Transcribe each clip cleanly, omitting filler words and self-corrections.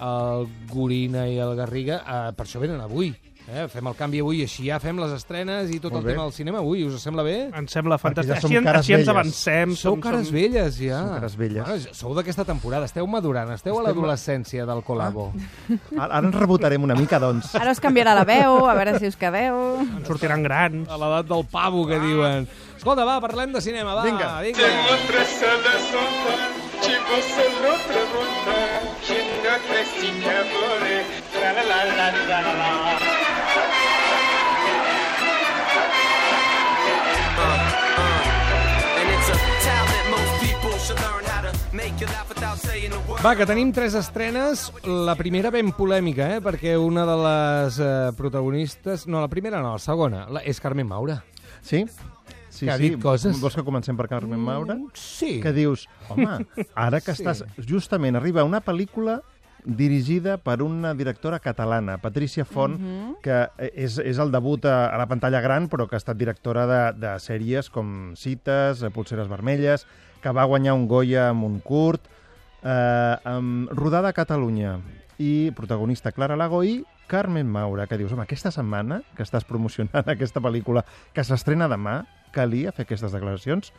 el Gorina i el Garriga, per això venen avui. Fem el canvi avui, així ja fem les estrenes i tot el tema del cinema avui. Us sembla bé? Ens sembla fantàstic. Ja així ens avancem. Sou cares velles, ja. Som cares velles. Bueno, sou d'aquesta temporada, esteu madurant, esteu a l'adolescència del Colabo. Ara ens rebotarem una mica, doncs. Ara us canviarà la veu, a veure si us quedeu. Ens sortiran grans. A l'edat del pavo, que diuen. Escolta, va, parlem de cinema, va. Vinga. Tengo 3 salas solas, si vos se lo pregunta, si no crecita more, tra la la la la la la. Va, que tenim 3 estrenes. La primera ben polèmica, perquè una de les protagonistes... No, la primera no, la segona. És Carmen Maura. Sí? Sí, que ha dit coses. Vols que comencem per Carmen Maura? Sí. Que dius, home, ara que estàs... Justament arriba una pel·lícula dirigida per una directora catalana, Patricia Font, que és el debut a la pantalla gran, però que ha estat directora de sèries com Cites, Polseres vermelles, que va guanyar un Goya amb un curt, rodada a Catalunya, i protagonista Clara Lago i Carmen Maura, que dius, home, aquesta setmana que estàs promocionant aquesta pel·lícula que s'estrena demà, calia fer aquestes declaracions?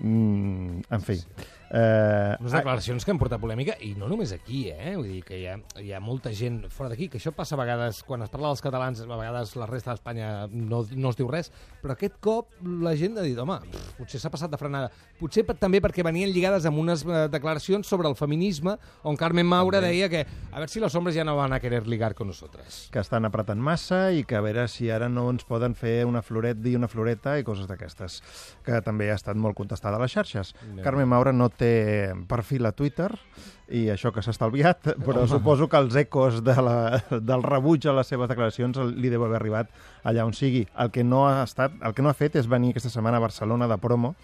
En fi... Unes declaracions que han portat polèmica, i no només aquí, vull dir que hi ha molta gent fora d'aquí, que això passa a vegades, quan es parla dels catalans, a vegades la resta d'Espanya no es diu res, però aquest cop la gent ha dit, home, potser s'ha passat de frenada. Potser també perquè venien lligades amb unes declaracions sobre el feminisme, on Carmen Maura deia que a veure si los hombres ja no van a querer ligar con nosotras. Que estan apretant massa i que a veure si ara no ens poden fer una floreta i una floreta i coses d'aquestes, que també ha estat molt contestada a les xarxes. Carmen Maura no té perfil a Twitter i això que s'ha estalviat, però suposo que els ecos del rebuig a les seves declaracions li deu haver arribat allà on sigui. El que no ha fet és venir aquesta setmana a Barcelona de promo,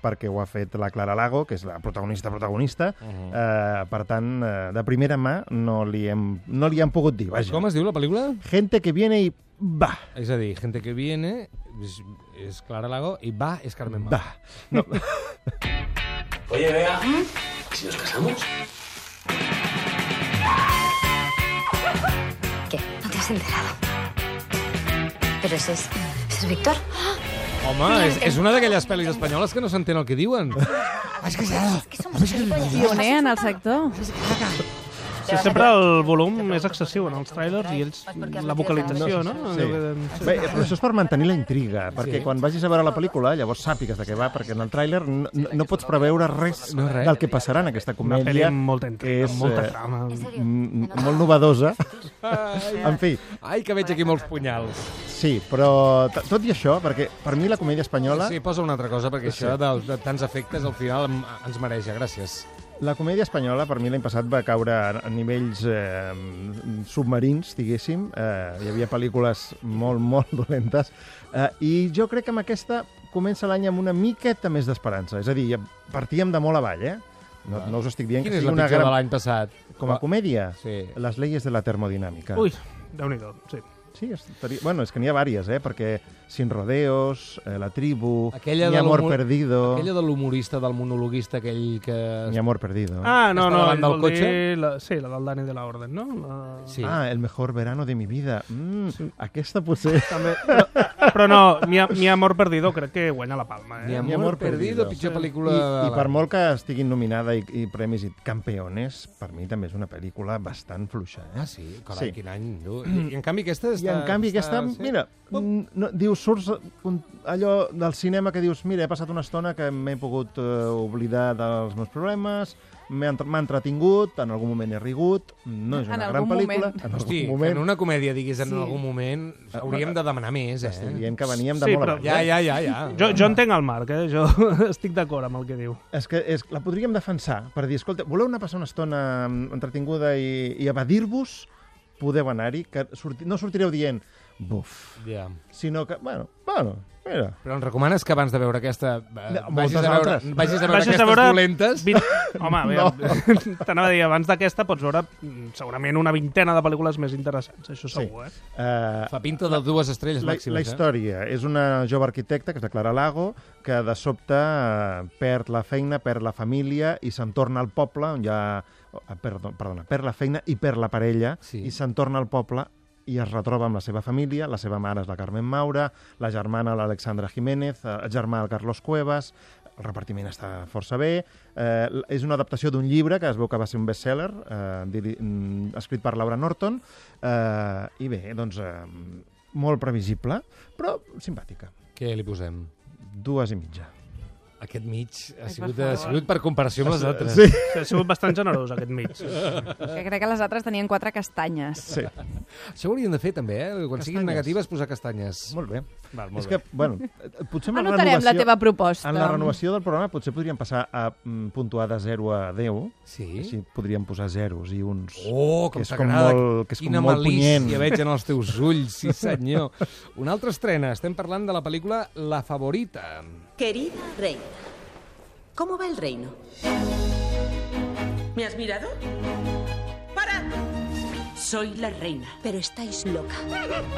perquè ho ha fet la Clara Lago, que és la protagonista. Per tant, de primera mà no li hem pogut dir. Vaja. Com es diu la pel·lícula? Gente que viene y va. És a dir, Gente que viene és Clara Lago i va és Carmen Maura. Va. No. Oye, Bea, ¿si nos casamos? ¿Qué? ¿No te has enterado? Pero ese es Víctor. Home, és una d'aquelles pel·lis espanyoles que no s'entén el que diuen. Es que somos gilipollas. Pioner en el sector. Sí, sempre el volum és excessiu en els trailers i ells, la vocalització, no? Sí. Bé, però això és per mantenir la intriga, perquè quan vagis a veure la pel·lícula llavors sàpigues de què va, perquè en el tràiler no pots preveure res del que passarà en aquesta Una pel·li comèdia, amb molta intriga, amb molta trama. molt novedosa. En fi, Ai, que veig aquí molts punyals. sí, però tot i això, perquè per mi la comèdia espanyola... Sí, posa una altra cosa, perquè això de tants efectes al final ens mareja. Gràcies. La comèdia espanyola, per mi, l'any passat va caure a nivells submarins, diguéssim. Hi havia pel·lícules molt, molt dolentes. I jo crec que amb aquesta comença l'any amb una miqueta més d'esperança. És a dir, partíem de molt avall, No us estic dient Quina que és sigui la una pitjor de gran... l'any passat? Com a comèdia? Sí. Les leyes de la termodinàmica. Ui, Déu-n'hi-do, sí. Sí, bueno, és que n'hi ha vàries, perquè Sin Rodeos, La Tribu, Aquella Mi de Amor l'humor- Perdido... Aquella de l'humorista, del monologuista, aquell que... Mi Amor Perdido. Ah, no, Està no, davant del vol dir cotxe? sí, la del Dani de la Orden, no? Sí. Ah, El mejor verano de mi vida. Aquesta potser... També, però no, Mi Amor Perdido crec que guanya la palma, Mi Mi amor amor perdido, perdido. pitjor pel·lícula... I per molt que estiguin nominada i premis i campeones, per mi també és una pel·lícula bastant fluixa. Ah, sí? Carai, Sí. quin any. I en canvi aquesta està... I en canvi aquesta, mira, dius, surts allò del cinema que dius, mira, he passat una estona que m'he pogut oblidar dels meus problemes, m'ha entretingut, en algun moment he rigut, no és En una algun gran pel·lícula, moment. en Hosti, algun que moment. en una comèdia diguis en Sí. algun moment, hauríem de demanar més, Estic dient que veníem de Sí, molt però- abans. Ja. Jo entenc el Marc, jo estic d'acord amb el que diu. És que la podríem defensar per dir, escolta, voleu anar a passar una estona entretinguda i evadir-vos? Podeu anar-hi, que no sortireu dient buf, Ja. sinó que, bueno, Mira. Però em recomanes que abans de veure aquesta vagis moltes a veure altres. aquestes dolentes? Home, t'anava a dir, abans d'aquesta pots veure segurament una vintena de pel·lícules més interessants, això segur, Fa pinta de 2 estrelles màximes. La història és una jove arquitecta, que és la Clara Lago, que de sobte perd la feina, perd la família i se'n torna al poble, on hi ha... Perdona, perd la feina i perd la parella, i se'n torna al poble i es retroba amb la seva família. La seva mare és la Carmen Maura, la germana l'Alexandra Jiménez, el germà el Carlos Cuevas. El repartiment està força bé. És una adaptació d'un llibre que es veu que va ser un bestseller, escrit per Laura Norton. I bé, doncs, molt previsible, però simpàtica. Què li posem? 2,5. Aquest mig ha sigut per comparació amb les altres. Sí. Ha sigut bastant generós, aquest mig. Que crec que les altres tenien 4 castanyes. Sí. Això ho hauríem de fer, també, Quan siguin negatives, posar castanyes. Molt bé. Molt És que, bueno, potser amb anotarem la teva proposta. En la renovació del programa potser podríem passar a puntuar de 0 a 10. Sí? Així podríem posar zeros i uns... Oh, com que és com t'agrada. molt, que és Quina com molt punyent. malícia veig en els teus ulls, sí senyor. Una altra estrena, estem parlant de la pel·lícula La Favorita. Querida reina, ¿cómo va el reino? ¿Me has mirado? ¡Para! Soy la reina. Pero estáis loca.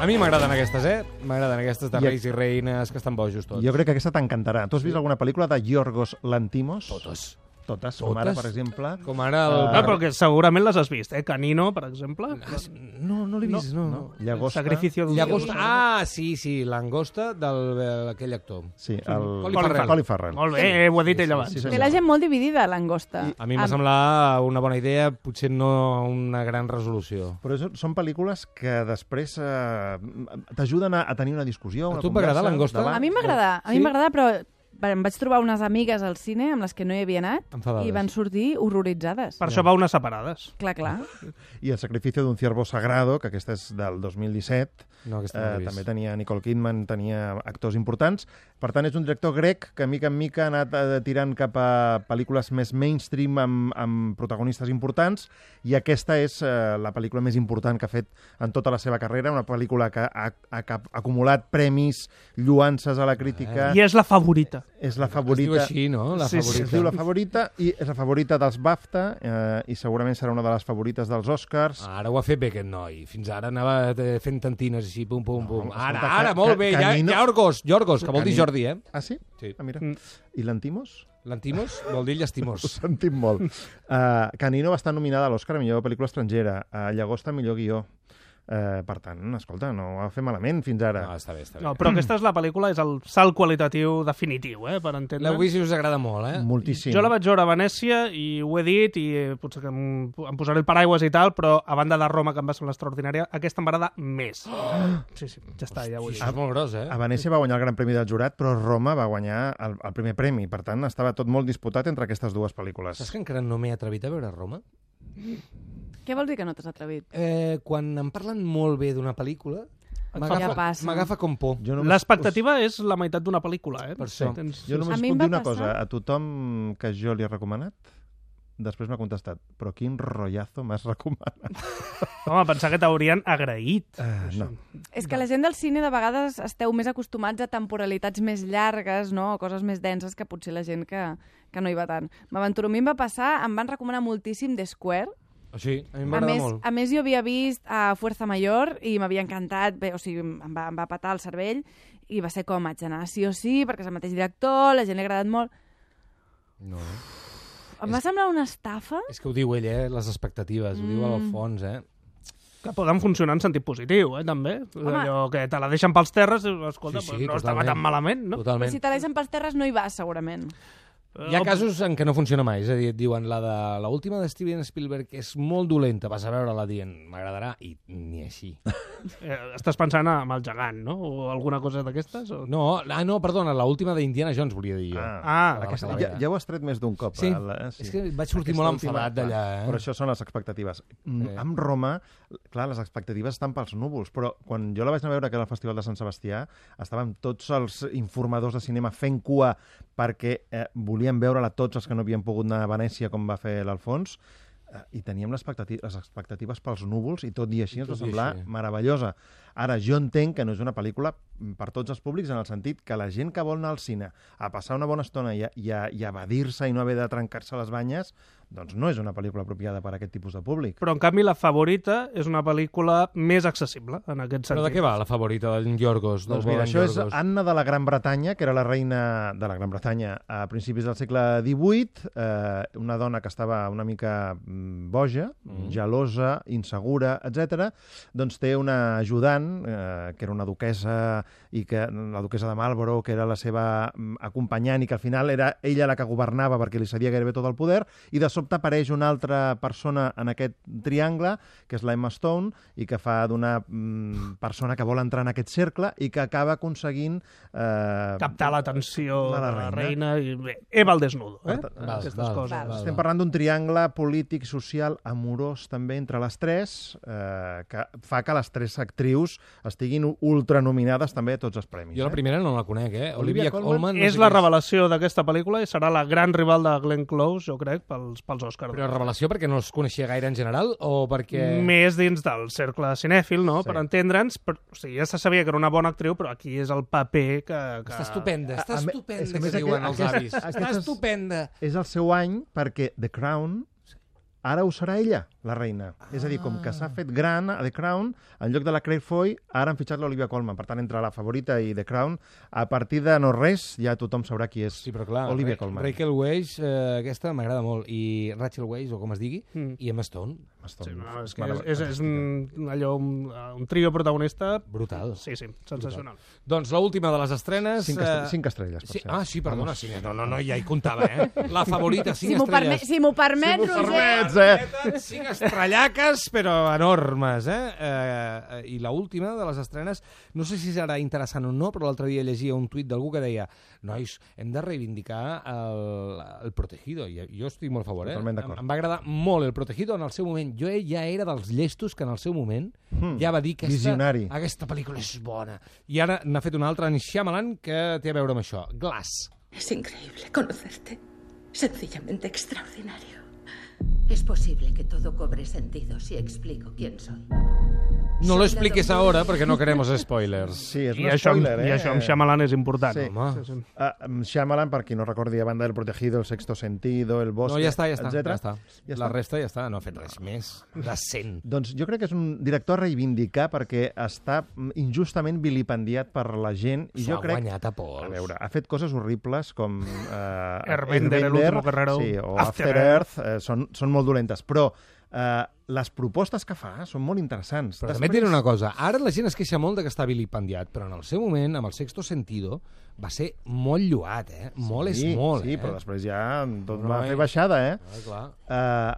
A mi m'agraden aquestes, M'agraden aquestes de reis i reines que estan bojos tots. Jo crec que aquesta t'encantarà. Tu has vist alguna pel·lícula de Yorgos Lanthimos? Totes, com ara, per exemple. Com ara el... Però que segurament les has vist, Canino, per exemple. No l'he vist, no. Llagosta. Sacrificio d'un Llagosta. Sí, l'angosta d'aquell actor. Sí, el Colin Farrell. Molt bé, ho ha dit ell abans. Té la gent molt dividida, l'angosta. A mi m'ha semblat una bona idea, potser no una gran resolució. Però són pel·lícules que després t'ajuden a tenir una discussió, una A tu conversa. t'agrada Langosta? A mi m'agrada, però em vaig trobar unes amigues al cine amb les que no hi havia anat Enfadades. i van sortir horroritzades. Per això va unes separades. Clar. I El sacrificio d'un ciervo sagrado, que aquesta és del 2017, No, aquesta no l'he vist. també tenia Nicole Kidman, tenia actors importants. Per tant, és un director grec que, mica en mica, ha anat tirant cap a pel·lícules més mainstream amb protagonistes importants, i aquesta és la pel·lícula més important que ha fet en tota la seva carrera, una pel·lícula que ha acumulat premis, lloances a la crítica. I és la favorita. És la favorita. Es diu així, no? La Sí, favorita. es diu la favorita, i és la favorita dels BAFTA, i segurament serà una de les favorites dels Oscars. Ara ho ha fet bé aquest noi. Fins ara anava fent tantines així, pum, pum, pum. escolta, Ara, molt bé. Canino- Yorgos, que vol dir Jordi, Ah, sí? Sí. Ah, mira. I l'Antimos? L'Antimos vol dir Ho llastimós. sentim molt. Canino va estar nominada a l'Oscar a millor pel·lícula estrangera, a Llagosta a millor guió. Per tant, escolta, no ho va fer malament fins ara. No, està bé, està bé. No, però aquesta és la pel·lícula, és el salt qualitatiu definitiu, per entendre. L'heu vist i us agrada molt, Moltíssim. Jo la vaig veure a Venècia i ho he dit, i potser que em posaré el paraigües i tal, però a banda de Roma, que em va semblar extraordinària, aquesta m'agrada més. Sí, ja està, ja ho he dit. Això és molt gros, A Venècia va guanyar el Gran Premi del Jurat, però Roma va guanyar el primer premi. Per tant, estava tot molt disputat entre aquestes dues pel·lícules. Saps que encara no m'he atrevit a veure Roma? Què vols dir que no t'has atrevit? Quan em parlen molt bé d'una pel·lícula, Ja passa. m'agafa com por. L'expectativa és la meitat d'una pel·lícula, Per això. Jo només A mi puc em dir va una cosa. passar- A tothom que jo li he recomanat, després m'ha contestat, però quin rotllazo m'has recomanat? Home, pensar que t'haurien agraït. No. És que la gent del cine de vegades esteu més acostumats a temporalitats més llargues, no? O coses més denses que potser la gent que no hi va tant. M'aventuro, a mi em va passar, em van recomanar moltíssim The Square. Sí, a mi m'agrada molt. A més, jo havia vist a Fuerza Mayor i m'havia encantat, bé, o sigui, em va petar el cervell i va ser com, haig d'anar sí o sí, perquè és el mateix director, la gent li ha agradat molt. No. Em va semblar una estafa. És que ho diu ell, les expectatives, ho diu al fons, Que poden funcionar en sentit positiu, també. Allò que te la deixen pels terres, escolta, Sí, no estava totalment. tan malament, no? Però Totalment. si te la deixen pels terres no hi vas, segurament. Hi ha casos en què no funciona mai, és a dir, et diuen la última de Steven Spielberg és molt dolenta, vas a veure-la dient m'agradarà, i ni així. Estàs pensant en el gegant, no? O alguna cosa d'aquestes? O... No, perdona, l'última d'Indiana Jones volia dir jo. Aquesta, ja ho has tret més d'un cop. Sí, és que vaig sortir molt enfadat d'allà. Però això són les expectatives. Amb Roma, clar, les expectatives estan pels núvols, però quan jo la vaig anar a veure, que era el Festival de Sant Sebastià, estàvem tots els informadors de cinema fent cua perquè volien veure-la tots els que no havien pogut anar a Venècia com va fer l'Alfons. i teníem les expectatives pels núvols i tot i així ens va semblar meravellosa. Ara, jo entenc que no és una pel·lícula per tots els públics en el sentit que la gent que vol anar al cine a passar una bona estona i a evadir-se i no haver de trencar-se les banyes, doncs no és una pel·lícula apropiada per a aquest tipus de públic. Però, en canvi, La Favorita és una pel·lícula més accessible, en aquest sentit. Però de què va La Favorita d'en Yorgos? Doncs mira, això és Anna de la Gran Bretanya, que era la reina de la Gran Bretanya a principis del segle XVIII, una dona que estava una mica boja, gelosa, insegura, etc. Doncs té una ajudant, que era una duquessa, i que la duquessa de Marlborough, que era la seva acompanyant, i que al final era ella la que governava perquè li cedia gairebé tot el poder, i de sobte apareix una altra persona en aquest triangle, que és la Emma Stone, i que fa d'una persona que vol entrar en aquest cercle i que acaba aconseguint captar l'atenció de la reina. I bé, Eva al desnudo, aquestes coses. Estem parlant d'un triangle polític, social, amorós també entre les tres, que fa que les tres actrius estiguin ultranominades també a tots els premis. Jo la primera no la conec, Olivia Colman. És la revelació d'aquesta pel·lícula i serà la gran rival de Glenn Close, jo crec, pels Oscars. Però revelació perquè no es coneixia gaire en general o perquè... Més dins del cercle cinèfil, no? Sí. Per entendre'ns. O sigui, ja se sabia que era una bona actriu, però aquí és el paper que... Està estupenda, que diuen els avis. Està estupenda. És el seu any perquè The Crown ara ho serà ella, la reina. És a dir, com que s'ha fet gran a The Crown, en lloc de la Claire Foy, ara han fitxat l'Olivia Colman. Per tant, entre La Favorita i The Crown, a partir de no res, ja tothom sabrà qui és Olivia Colman. Rachel Weisz, aquesta m'agrada molt, i Rachel Weisz, o com es digui, i Emma Stone. Sí, no, és un trio protagonista... Brutal. Sí, sensacional. Doncs l'última de les estrenes... 5 estrelles, per cert. Ah, sí, perdona. No, ja hi comptava, La Favorita, 5 estrelles. Si m'ho permet, Roger... 5 estrellaques, però enormes, I l'última de les estrenes, no sé si serà interessant o no, però l'altre dia llegia un tuit d'algú que deia: nois, hem de reivindicar el Protegido. Jo estic molt a favor, Totalment d'acord. Em va agradar molt el Protegido en el seu moment. Jo ja era dels llestos que en el seu moment ja va dir que aquesta pel·lícula és bona. I ara n'ha fet una altra en Shyamalan que té a veure amb això. Glass. Es increíble conocerte. Sencillamente extraordinario. Es posible que todo cobre sentido si explico quién soy. No lo expliques ahora porque no queremos spoilers. Sí, és un spoiler, I això amb Shyamalan és important. Sí. Shyamalan, per qui no recordi, a banda del Protegido, El sexto sentido, El bosque, ja està. etc. La resta ja està, no ha fet res més. Decent. Doncs jo crec que és un director a reivindicar perquè està injustament vilipendiat per la gent. I jo crec, guanyat a pols. A veure, ha fet coses horribles com Airbender, El último guerrero, o After Earth, són molt dolentes, però les propostes que fa són molt interessants. Però també et diré una cosa, ara la gent es queixa molt de que està vilipendiat, però en el seu moment, amb El sexto sentido, va ser molt lloat, Molt és molt, Sí, però després ja tot va fer baixada, Clar.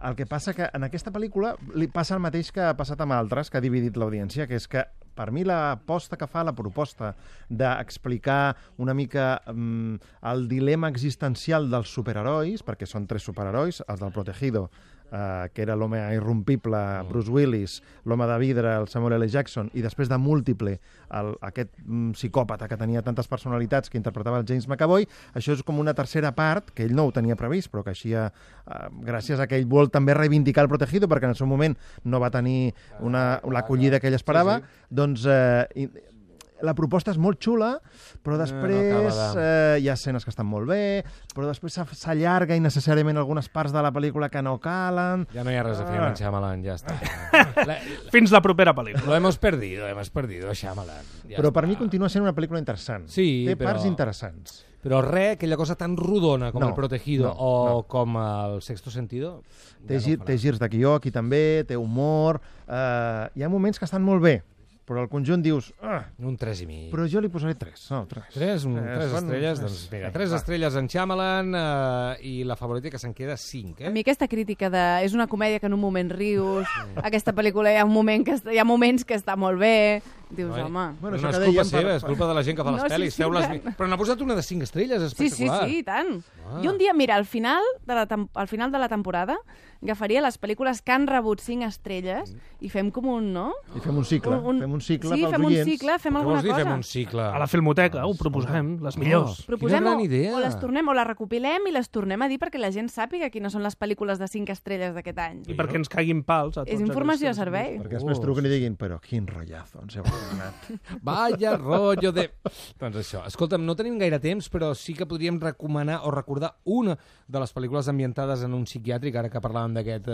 El que passa que en aquesta pel·lícula li passa el mateix que ha passat amb altres, que ha dividit l'audiència, que és que per mi l'aposta que fa, la proposta d'explicar una mica el dilema existencial dels superherois, perquè són 3 superherois, els del Protegido, que era l'home irrompible, Bruce Willis, l'home de vidre, el Samuel L. Jackson, i després de Múltiple, aquest psicòpata que tenia tantes personalitats que interpretava el James McAvoy. Això és com una tercera part, que ell no ho tenia previst, però que així, gràcies a que ell vol també reivindicar el Protegido, perquè en el seu moment no va tenir l'acollida que ell esperava, doncs la proposta és molt xula, però després hi ha escenes que estan molt bé, però després s'allarga innecessàriament algunes parts de la pel·lícula que no calen. Ja no hi ha res a fer amb Shyamalan, ja està. Fins la propera pel·lícula. Lo hemos perdido, Shyamalan. Però per mi continua sent una pel·lícula interessant. Té parts interessants. Però aquella cosa tan rodona com El Protegido com El sexto sentido... Té girs de guió aquí també, té humor... Hi ha moments que estan molt bé, però al conjunt dius... Un 3,5. Però jo li posaré 3. No, 3. 3 estrelles? Doncs mira, 3 estrelles en Shyamalan i La Favorita que se'n queda 5. A mi aquesta crítica de... És una comèdia que en un moment rius, aquesta pel·lícula hi ha moments que està molt bé, Dius, home... Bueno, no això és que culpa dèiem seva, és culpa de la gent que fa les No, sí, pel·lis. sí, tant. Però n'ha posat una de 5 estrelles, Sí, espectacular. i tant. Ah. I un dia, mira, al final de la temporada agafaria les pel·lícules que han rebut 5 estrelles i fem com un, no? I fem un cicle. Fem un cicle sí, pels fem un oients. cicle, fem Què alguna vols dir, cosa. fem un cicle? A la Filmoteca, ho proposem, les millors. Proposem Quina gran idea. o les tornem, o les recopilem i les tornem a dir perquè la gent sàpiga quines són les pel·lícules de 5 estrelles d'aquest any. I perquè ens caiguin pals a tots. És informació a aquests- servei. Perquè després truquen i diguin, però quin rotllazo, ens heu donat. Vaya rollo de... Doncs això. Escolta'm, no tenim gaire temps, però sí que podríem recomanar o recordar una de les pel·lícules ambientades en un psiquiàtric, ara que parlàvem d'aquest...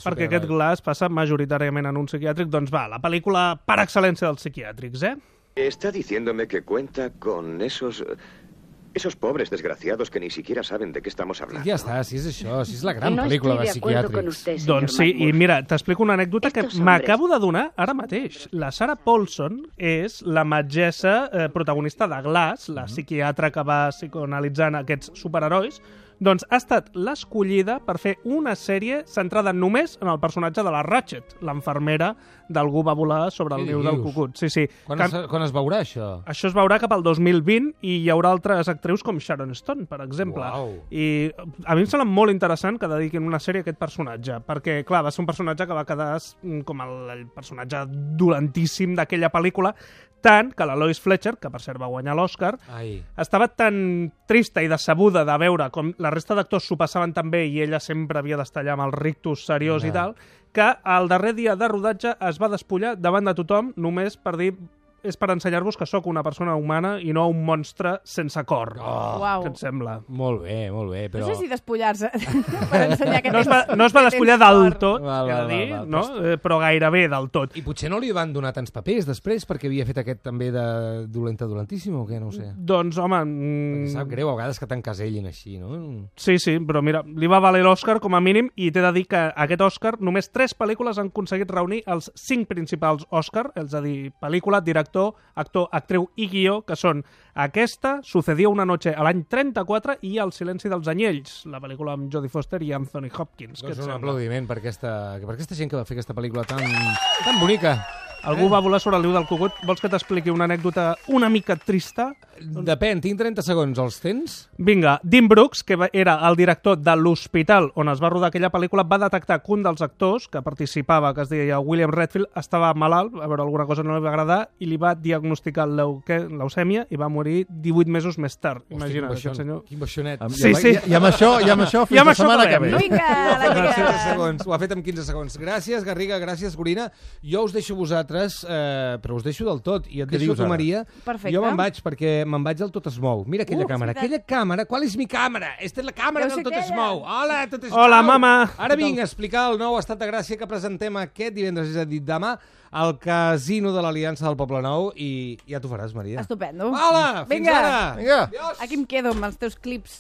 Perquè aquest glaç passa majoritàriament en un psiquiàtric, doncs va, la pel·lícula per excel·lència dels psiquiàtrics, eh? Está diciéndome que cuenta con esos pobres desgraciados que ni siquiera saben de qué estamos hablando. Ja està, si és això, si és la gran pel·lícula de psiquiàtrics. Doncs sí, i mira, t'explico una anècdota que m'acabo de donar ara mateix. La Sarah Paulson és la metgessa protagonista de Glass, la psiquiatra que va psicoanalitzant aquests superherois, doncs ha estat l'escollida per fer una sèrie centrada només en el personatge de la Ratchet, l'enfermera d'Algú va volar sobre el Què niu del dius? cucut. Sí, sí. Quan es veurà, això? Això es veurà cap al 2020 i hi haurà altres actrius com Sharon Stone, per exemple. Uau. I a mi em sembla molt interessant que dediquin una sèrie a aquest personatge, perquè, clar, va ser un personatge que va quedar com el personatge dolentíssim d'aquella pel·lícula, tant que la Lois Fletcher, que per cert va guanyar l'Oscar, Ai. estava tan trista i decebuda de veure com la resta d'actors s'ho passaven tan bé i ella sempre havia d'estar allà amb el rictus seriós i tal, que al darrer dia de rodatge es va despullar davant de tothom només per dir és per ensenyar-vos que sóc una persona humana i no un monstre sense cor. Oh, Uau. Què et sembla? molt bé, però... No sé si despullar-se per ensenyar que No es va despullar del tot, Val, he de val, dir, val, no? Però gairebé del tot. I potser no li van donar tants papers després perquè havia fet aquest també de dolentíssim o què, no ho sé. Doncs, home... Perquè sap greu a vegades que t'encasellin així, no? Sí, però mira, li va valer l'Oscar com a mínim i t'he de dir que aquest Oscar només 3 pel·lícules han aconseguit reunir els 5 principals Oscar, és a dir, pel·lícula, director, actor, actriu i guió, que són aquesta, Sucedió una noche a l'any 34 i El silenci dels anyells, la pel·lícula amb Jodie Foster i Anthony Hopkins. Què et Doncs un sembla? aplaudiment per aquesta gent que va fer aquesta pel·lícula tan bonica. Algú va volar sobre el niu del cucut. Vols que t'expliqui una anècdota una mica trista? Depèn, tinc 30 segons, els tens? Vinga, Dean Brooks, que era el director de l'hospital on es va rodar aquella pel·lícula, va detectar que un dels actors que participava, que es deia William Redfield, estava malalt, a veure, alguna cosa no li va agradar, i li va diagnosticar leucèmia i va morir 18 mesos més tard. Imagina't, aquest senyor. Quin baixonet. Sí, sí. I amb això fins la setmana que ve. Vinga, la En els 15 tia. segons, ho ha fet en 15 segons. Gràcies, Garriga, gràcies, Gorina. Jo us deixo vosaltres, però us deixo del tot. I et deixo dius tu, ara? Maria. Perfecte. Jo me'n vaig, perquè me'n vaig al Tot es mou. Mira aquella càmera. és veritat. Aquella càmera, qual és mi càmera? Esta és la càmera Deu del ser Tot es aquella. mou. Hola, Tot es Hola, mou. mama. Ara vinc a explicar el nou estat de gràcia que presentem aquest divendres, és a dir, demà, al Casino de l'Aliança del Poble Nou, i ja t'ho faràs, Maria. Estupendo. Hola, fins Vinga. ara. Vinga. Adiós. Aquí em quedo amb els teus clips.